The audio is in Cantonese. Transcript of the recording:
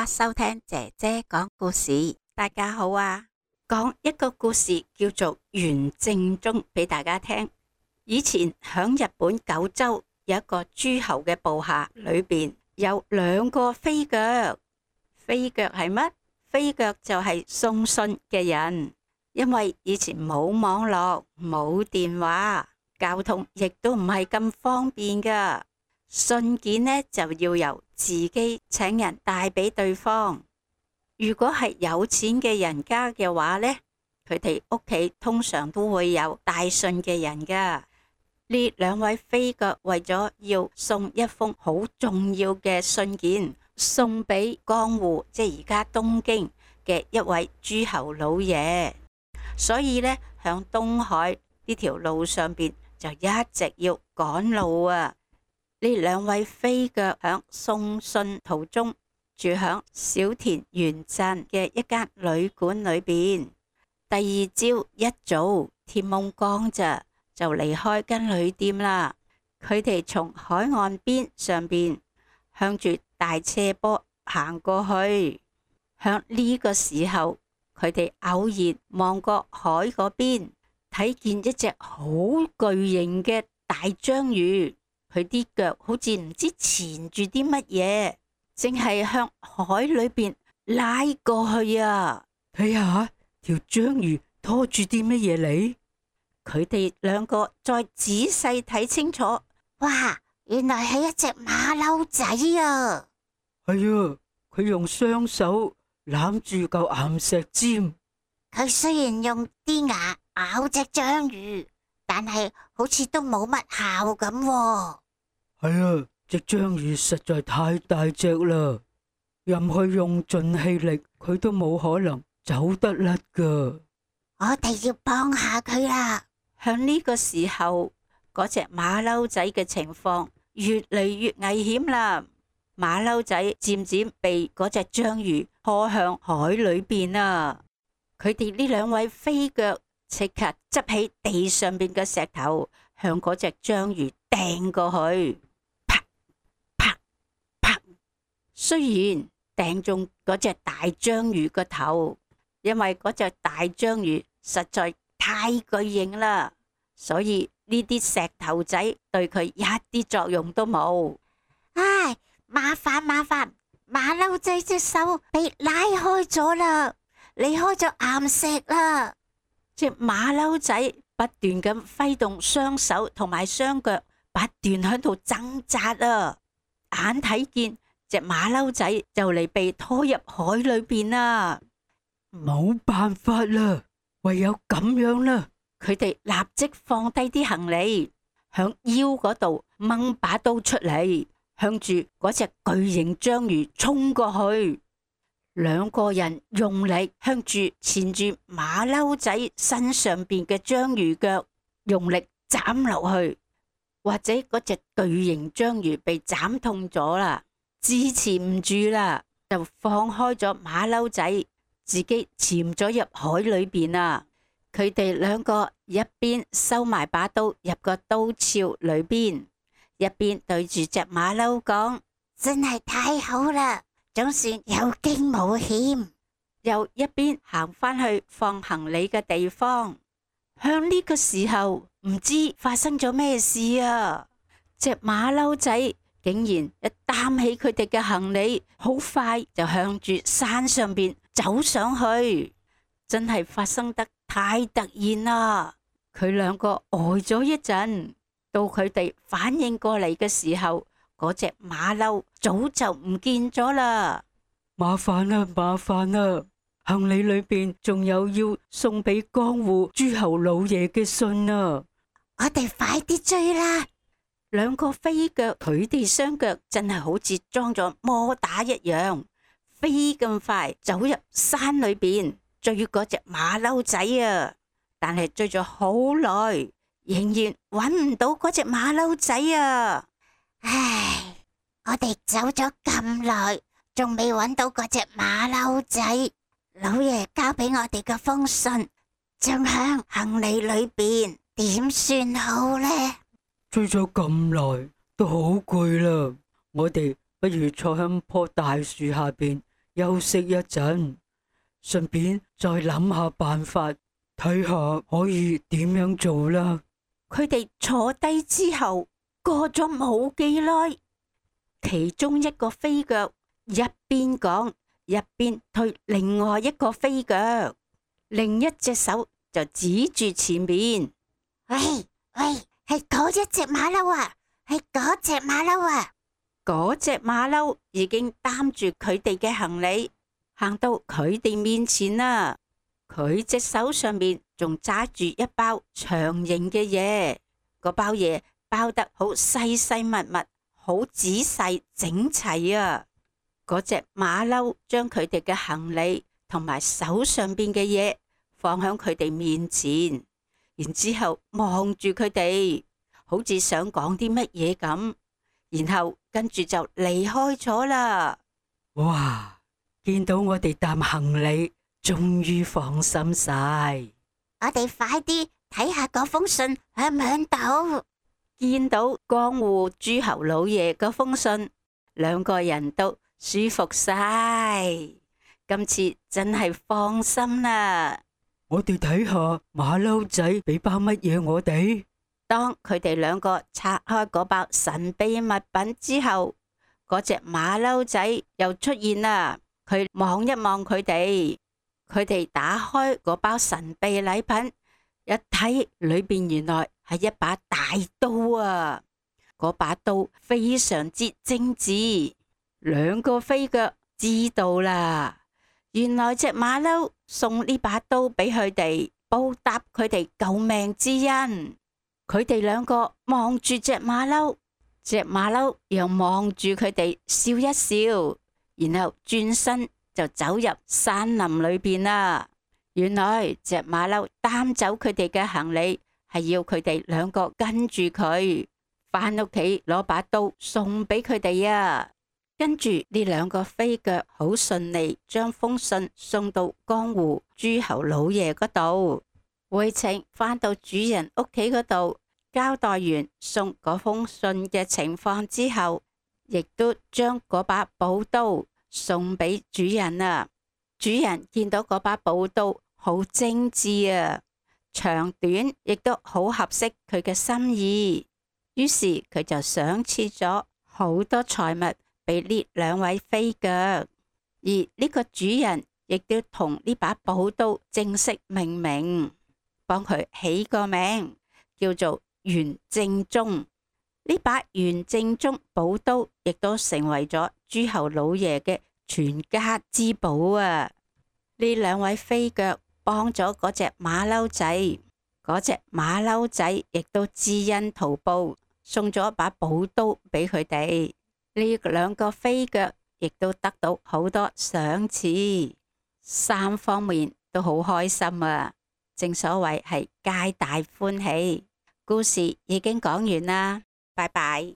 家收聽姐姐講故事。大家好啊，講一個故事叫做袁正宗俾大家聽。以前響日本九州有一個諸侯嘅部下，裏邊有兩個飛腳。飛腳係乜？飛腳就係送信嘅人。因為以前冇網絡、冇電話，交通亦都唔係咁方便噶。信件呢就要由自己請人帶俾對方。如果係有錢嘅人家嘅話呢，佢哋屋企通常都會有帶信嘅人噶。呢兩位飛腳為咗要送一封好重要嘅信件，送俾江戶，即係而家東京嘅一位諸侯老爺，所以呢，響東海呢條路上邊就一直要趕路啊。呢兩位飛腳響送信途中住響小田原鎮嘅一間旅館裏邊。第二朝一早天蒙光咋，就離開間旅店啦。佢哋從海岸邊上邊向住大斜坡行過去。響呢個時候，佢哋偶然望過海嗰邊，睇見一隻好巨型嘅大章魚。佢啲腳好似唔知纏住啲乜嘢，淨係向海裏邊拉過去啊！睇下條章魚拖住啲乜嘢嚟？佢哋兩個再仔細睇清楚，哇！原來係一隻馬騮仔啊！係啊，佢用雙手攬住嚿岩石尖。佢雖然用啲牙咬隻章魚，但係好似都冇乜效咁喎。係啊，隻章魚實在太大隻啦，任佢用盡氣力，佢都冇可能走得甩噶。我哋要幫下佢啦。向呢個時候，嗰隻馬騮仔嘅情況越嚟越危險啦。馬騮仔漸漸被嗰隻章魚拖向海裏邊啊！佢哋呢兩位飛腳即刻執起地上邊嘅石頭，向嗰隻章魚掟過去。雖然掟中嗰隻大章魚個頭，因為嗰隻大章魚實在太巨型啦，所以呢啲石頭仔對佢一啲作用都冇。唉，麻煩，馬騮仔隻手被拉開咗啦，離開咗岩石啦。隻馬騮仔不斷咁揮動雙手同埋雙腳，不斷喺度掙扎啊！眼睇見隻馬騮仔就嚟被拖入海裏邊啦，冇辦法啦，唯有咁樣啦。佢哋立即放低啲行李，向腰嗰度掹把刀出嚟，向住嗰隻巨型章魚衝過去。兩個人用力向住纏住馬騮仔身上邊嘅章魚腳用力斬落去，或者嗰隻巨型章魚被斬痛咗啦，支持唔住啦，就放開咗馬騮仔，自己潛咗入海裏邊啊！佢哋兩個一邊收埋把刀入個刀鞘裏邊，一邊對住隻馬騮講：真係太好啦，總算有驚冇險。又一邊行返去放行李嘅地方。向呢個時候，唔知發生咗咩事啊！隻馬騮仔竟然一擔起佢哋嘅行李，好快就向住山上邊走上去。真係發生得太突然啦！佢兩個呆咗一陣，到佢哋反應過嚟嘅時候，嗰隻馬騮早就唔見咗啦。麻煩啦，行李裏邊仲有要送俾江戶諸侯老爺嘅信啊！我哋快啲追啦！兩個飛腳，佢哋雙腳真係好似裝咗摩打一樣，飛咁快走入山裏邊追嗰隻馬騮仔啊！但係追咗好耐，仍然搵唔到嗰隻馬騮仔啊！唉，我哋走咗咁耐，仲未搵到嗰隻馬騮仔。老爺交俾我哋嘅封信仲響行李裏邊，點算好呢？追咗咁耐都好攰啦，我哋不如坐喺棵大樹下邊休息一陣，順便再諗下辦法，睇下可以點樣做啦。佢哋坐低之後，過咗冇幾耐，其中一個飛腳一邊講一邊推另外一個飛腳，另一隻手就指住前面。喂，係嗰一隻馬騮啊，係嗰隻馬騮啊！嗰隻馬騮已經擔住佢哋嘅行李，行到佢哋面前啦。佢隻手上面仲揸住一包長形嘅嘢，嗰包嘢包得好細細密密，好仔細整齊啊！嗰隻馬騮將佢哋嘅行李同埋手上邊嘅嘢放喺佢哋面前，然之後望住佢哋，好似想講啲乜嘢咁。然後跟住就離開咗啦。哇！見到我哋擔行李，終於放心晒。我哋快啲睇下嗰封信響唔響度。見到江戶諸侯老爺嗰封信，兩個人都舒服晒。今次真係放心啦。我哋睇下馬騮仔俾包乜嘢我哋。當佢哋兩個拆開嗰包神秘物品之後，嗰隻馬騮仔又出現啦。佢望一望佢哋，佢哋打開嗰包神秘禮品，一睇裏邊原來係一把大刀啊！嗰把刀非常之精緻。兩個飛腳知道啦，原來隻馬騮送呢把刀俾佢哋，報答佢哋救命之恩。佢哋兩個望住隻馬騮，隻馬騮又望住佢哋笑一笑，然後轉身就走入山林裏邊啦。原來隻馬騮擔走佢哋嘅行李，係要佢哋兩個跟住佢返屋企攞把刀送俾佢哋啊。跟住呢兩個飛腳好順利將封信送到江戶諸侯老爺嗰度。回程返到主人屋企嗰度，交代完送嗰封信嘅情況之後，亦都將嗰把寶刀送俾主人啊。主人見到嗰把寶刀好精緻啊，長短亦都好合適佢嘅心意，於是佢就賞賜咗好多財物俾呢兩位飛腳，而呢個主人亦都同呢把寶刀正式命名，幫佢起個名叫做元正宗。呢把元正宗寶刀亦都成為咗諸侯老爺嘅全家之寶啊！呢兩位飛腳幫咗嗰隻馬騮仔，嗰隻馬騮仔亦都知恩圖報，送咗一把寶刀俾佢哋。呢兩個飛腳亦都得到好多賞賜，三方面都好開心啊！正所謂係皆大歡喜。故事已經講完啦，拜拜。